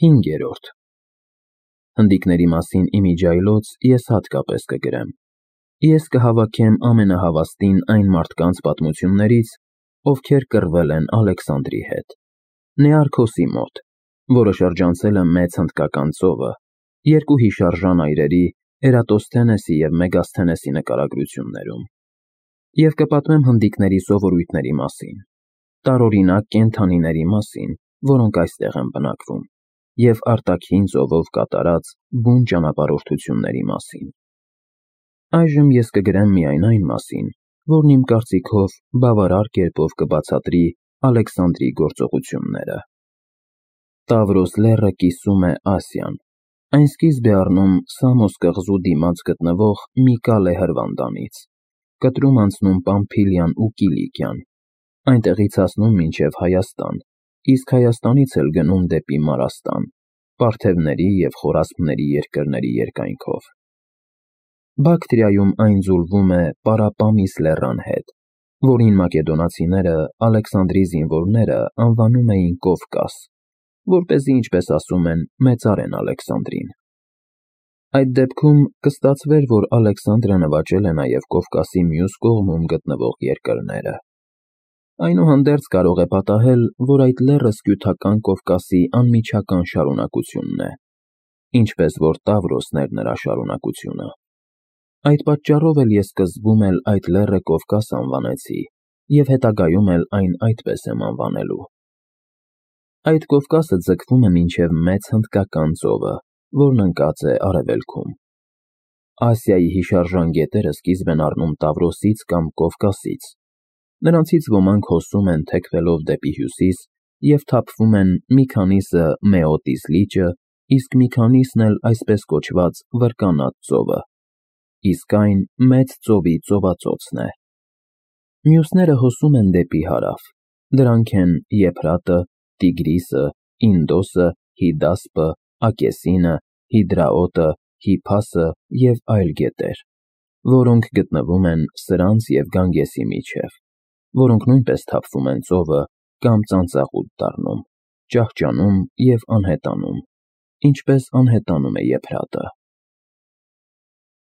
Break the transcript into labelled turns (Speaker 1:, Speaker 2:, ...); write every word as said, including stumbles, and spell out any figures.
Speaker 1: Հինգերորդ Հնդիկների մասին իմիջիայլոց ես հատկապես կգրեմ։ Ես կհավաքեմ ամենահավաստին այն մարդկանց պատմություններից, ովքեր կռվել են Ալեքսանդրի հետ, Նեարքոսի մոտ, որը շրջանցել է Մեծ Հնդկական ծովը, երկու հիշարժան այրերի՝ Էրատոսթենեսի և Մեգասթենեսի նկարագրություններում, և կպատմեմ հնդիկների սովորույթների մասին, տարօրինակ կենդանիների մասին, որոնք այստեղ են բնակվում, և արտաքին ծովով կատարած բուն ճանապարհորդությունների մասին։ Այժմ ես կգրեմ միայն այն մասին, որն իմ կարծիքով բավարար կերպով կբացատրի Ալեքսանդրի գործողությունները։ Տավրոս լեռը կիսում է Ասիան, այն սկիզբ է առնում Սամոս կղզու դիմաց գտնվող Միկալե հրվանդանից, կտրում անցնում Պամփիլիան ու Կիլիկիան, այնտեղից հասնում մինչև Հայաստան, իսկ Հայաստանից էլ գնում դեպի Մարաստան, Պարթևների և Խորասպների երկրների երկայնքով։ Բակտրիայում այն ձուլվում է Պարապամիս լեռան հետ, որին մակեդոնացիները Ալեքսանդրի զինվորները անվանում էին Կովկաս, որպեսզի, ինչպես ասում են, մեծարեն Ալեքսանդրին։ Այդ դեպքում կստացվեր, որ Ալեքսանդրը նվաճել է նաև Կովկասի մյուս կողմում գտնվող երկրները։ Այնուհանդերձ կարող է պատահել, որ այդ լեռը Սկյութական Կովկասի անմիջական շարունակությունն է, ինչպես որ Տավրոսն էր նրա շարունակությունը։ Այդ պատճառով էլ ես սկզբում էլ այդ լեռը Կովկաս անվանեցի և հետագայում էլ այն այդպես եմ անվանելու։ Այդ Կովկասը ձգվում է մինչև Մեծ Հնդկական ծովը, որն ընկած է արևելքում։ Ասիայի հիշարժան գետերը սկիզբ են առնում Տավրոսից կամ Կովկասից։ Նրանցից ոմանք հոսում են թեքվելով դեպի հյուսիս և թափվում են մի քանիսը Մեոտիս լիճը, իսկ մի քանիսն էլ այսպես կոչված Վրկանաց ծովը, իսկ այն Մեծ ծովի ծովածոցն է։ Մյուսները հոսում են դեպի հարավ, դրանք են Եփրատը, Տիգրիսը, Ինդոսը, Հիդասպը, Ակեսինը, Հիդրաոտը, Հիփասը և այլ գետեր, որոնք գտնվում են սրանց և Գանգեսի միջև, որոնք նույնպես թափվում են ծովը կամ ծանծաղուտ դառնում, ճահճանում և անհետանում, ինչպես անհետանում է Եփրատը։